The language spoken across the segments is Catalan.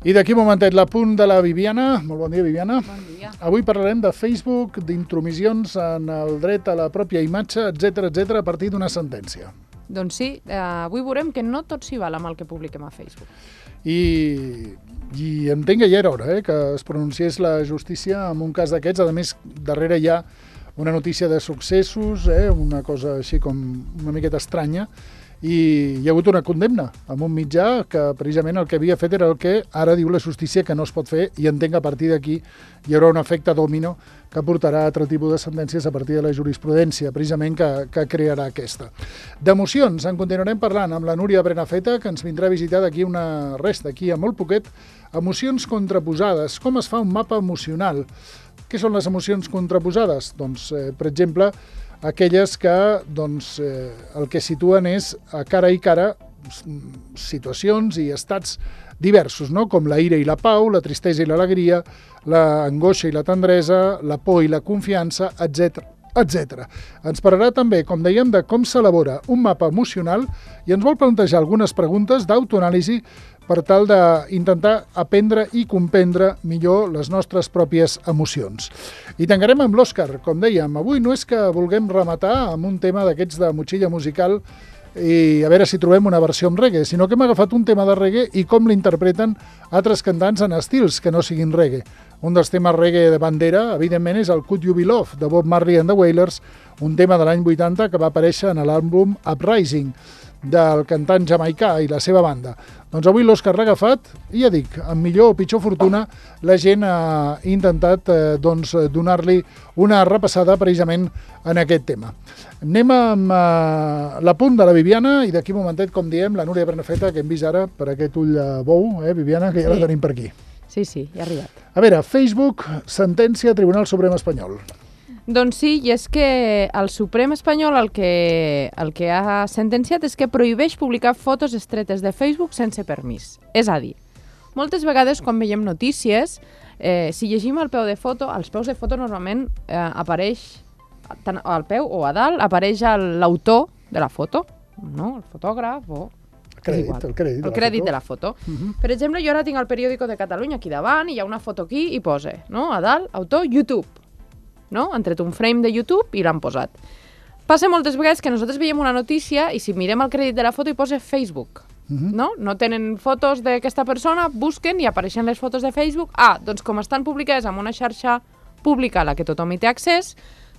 I d'aquí un momentet, l'apunt de la Viviana. Molt bon dia, Viviana. Bon dia. Avui parlarem de Facebook, d'intromissions en el dret a la pròpia imatge, etc a partir d'una sentència. Doncs sí, avui veurem que no tot s'hi val amb el que publiquem a Facebook. I entenc que ja era hora que es pronunciés la justícia en un cas d'aquests. A més, darrere hi ha una notícia de successos, una cosa així com una miqueta estranya, i hi ha hagut una condemna amb un mitjà que precisament el que havia fet era el que ara diu la justícia que no es pot fer, i entenc que a partir d'aquí hi haurà un efecte dòmino que portarà a altre tipus de sentències a partir de la jurisprudència, precisament que crearà aquesta. D'emocions en continuarem parlant amb la Núria Brenafeta, que ens vindrà a visitar d'aquí una resta, d'aquí a molt poquet. Emocions contraposades, com es fa un mapa emocional? Què són les emocions contraposades? Doncs, per exemple, aquelles que el que situen és a cara i cara situacions i estats diversos, no? Com la ira i la pau, la tristesa i l'alegria, l'angoixa i la tendresa, la por i la confiança, etc. Ens parlarà també, com dèiem, de com s'elabora un mapa emocional i ens vol plantejar algunes preguntes d'autoanàlisi per tal d'intentar aprendre i comprendre millor les nostres pròpies emocions. I tancarem amb l'Òscar, com dèiem. Avui no és que vulguem rematar amb un tema d'aquests de motxilla musical i a veure si trobem una versió en reggae, sinó que hem agafat un tema de reggae i com l'interpreten altres cantants en estils que no siguin reggae. Un dels temes reggae de bandera, evidentment, és el Could You Be Love, de Bob Marley and the Wailers, un tema de l'any 80 que va aparèixer en l'àlbum Uprising, del cantant jamaicà i la seva banda. Doncs avui l'Òscar l'ha agafat i ja dic, amb millor o pitjor fortuna, la gent ha intentat donar-li una repassada precisament en aquest tema. Anem amb l'apunt de la Viviana i d'aquí un momentet, com diem, la Núria Bernafeta, que hem vist ara per aquest ull de bou, Viviana, que ja la tenim per aquí. Sí, ja ha arribat. A veure, Facebook, sentència Tribunal Suprem Espanyol. Doncs sí, i és que el Suprem espanyol el que ha sentenciat és que prohibeix publicar fotos estretes de Facebook sense permís. És a dir, moltes vegades quan veiem notícies, si llegim al peu de foto, als peus de foto normalment apareix, tant al peu o a dalt, apareix l'autor de la foto, no? El fotògraf o... El crèdit de la foto. Per exemple, jo ara tinc el Periódico de Catalunya aquí davant i hi ha una foto aquí i posa, no? A dalt, autor, YouTube. No? Han tret un frame de YouTube i l'han posat. Passa moltes vegades que nosaltres veiem una notícia i si mirem el crèdit de la foto hi posa Facebook. No tenen fotos d'aquesta persona, busquen i apareixen les fotos de Facebook. Doncs com estan publicades en una xarxa pública a la que tothom hi té accés,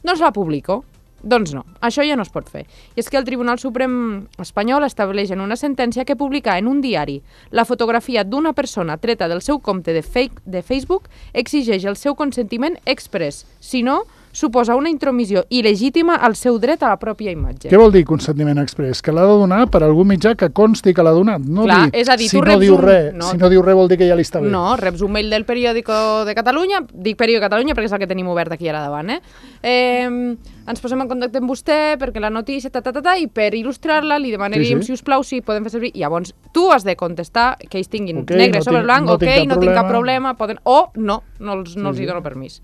doncs la publico. Doncs no, això ja no es pot fer. I és que el Tribunal Suprem espanyol estableix en una sentència que publicar en un diari la fotografia d'una persona treta del seu compte de Facebook exigeix el seu consentiment exprés. Si no, suposa una intromissió il·legítima al seu dret a la pròpia imatge. Què vol dir consentiment exprés? Que l'ha de donar per algun mitjà que consti que l'ha donat. Clar, és a dir, si no diu res vol dir que ja li està bé. No, reps un mail del Periódico de Catalunya, dic Periódico de Catalunya perquè és el que tenim obert aquí ara davant, ens posem en contacte amb vostè perquè la notícia, i per il·lustrar-la li demanaríem, si us plau, si podem fer servir. Llavors, tu has de contestar que ells tinguin negre sobre blanc, no tinc cap problema, o no els hi dono permís.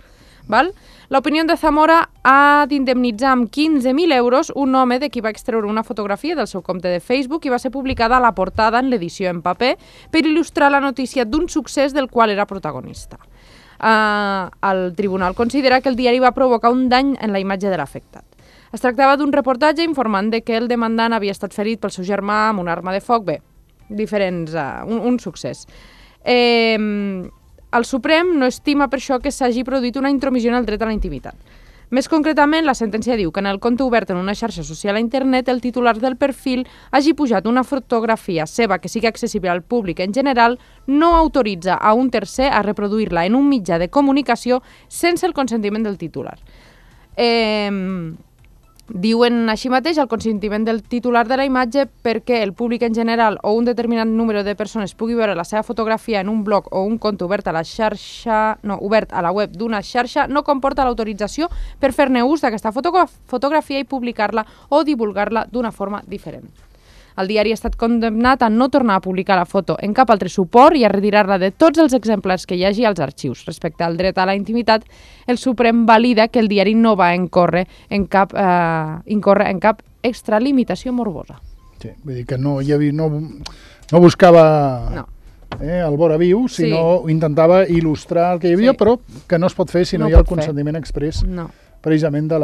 L'opinió de Zamora ha d'indemnitzar amb 15.000 euros un home de qui va extreure una fotografia del seu compte de Facebook i va ser publicada a la portada en l'edició en paper per il·lustrar la notícia d'un succés del qual era protagonista. El tribunal considera que el diari va provocar un dany en la imatge de l'afectat. Es tractava d'un reportatge informant que el demandant havia estat ferit pel seu germà amb una arma de foc. Un succés. El Suprem no estima per això que s'hagi produït una intromissió en el dret a la intimitat. Més concretament, la sentència diu que en el compte obert en una xarxa social a internet el titular del perfil hagi pujat una fotografia seva que sigui accessible al públic en general no autoritza a un tercer a reproduir-la en un mitjà de comunicació sense el consentiment del titular. Diuen així mateix el consentiment del titular de la imatge perquè el públic en general o un determinat número de persones pugui veure la seva fotografia en un blog o un compte obert a la web d'una xarxa no comporta l'autorització per fer-ne ús d'aquesta fotografia i publicar-la o divulgar-la d'una forma diferent. El diari ha estat condemnat a no tornar a publicar la foto en cap altre suport i a retirar-la de tots els exemplars que hi hagi als arxius. Respecte al dret a la intimitat, el Suprem valida que el diari no va incórrer en cap extralimitació morbosa. Sí, vull dir que no buscava al vora viu, sinó intentava il·lustrar el que hi havia, però que no es pot fer si no hi ha el consentiment express precisament de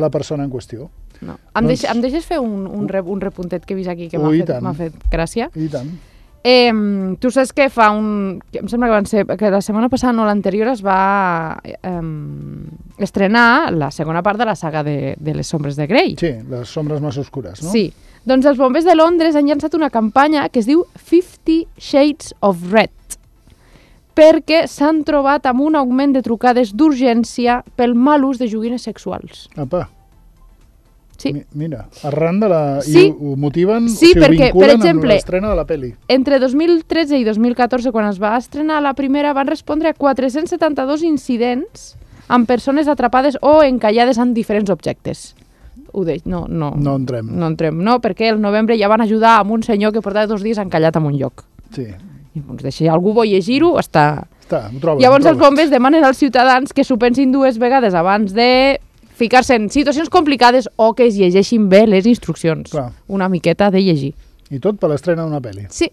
la persona en qüestió. No. Em deixes fer un repuntet que he vist aquí que m'ha fet gràcia? I tant. Tu saps que em sembla que van ser, que la setmana passada o l'anterior es va estrenar la segona part de la saga de les Sombres de Grey. Sí, les sombres més oscures, no? Sí. Doncs els bombers de Londres han llançat una campanya que es diu 50 Shades of Red, perquè s'han trobat amb un augment de trucades d'urgència pel mal ús de joguines sexuals. Apa. Sí. Mira, arran de la... Sí. I ho motiven, sí, ho perquè, vinculen per exemple, amb l'estrena de la pel·li. Entre 2013 i 2014, quan es va estrenar la primera, van respondre a 472 incidents amb persones atrapades o encallades en diferents objectes. Ho deix, no entrem. No entrem, no, perquè el novembre ja van ajudar amb un senyor que portava 2 dies encallat en un lloc. Sí. I doncs deixa, algú vol llegir-ho, està... Ho trobes. Llavors els bombers demanen als ciutadans que s'ho pensin 2 vegades abans de ficar-se en situacions complicades o que es llegeixin bé les instruccions. Clar. Una miqueta de llegir. I tot per l'estrena d'una pel·li. Sí.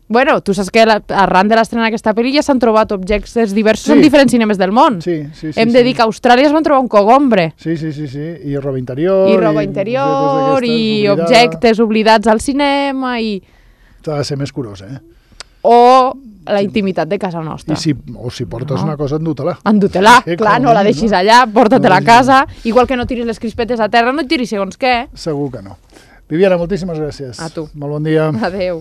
Bueno, tu saps que arran de l'estrena d'aquesta pel·li ja s'han trobat objectes diversos en diferents cinemes del món. Sí. Hem de dir que a Austràlia es van trobar un cogombre. Sí. I roba interior. I objectes oblidats al cinema i... T'ha de ser més curós, O la intimitat de casa nostra. Si portes una cosa, endú-te-la. Endú-te-la, clar, no la deixis allà, porta-te-la a casa, igual que no tiris les crispetes a terra, no et tiris segons què. Segur que no. Viviana, moltíssimes gràcies. A tu. Molt bon dia. Adéu.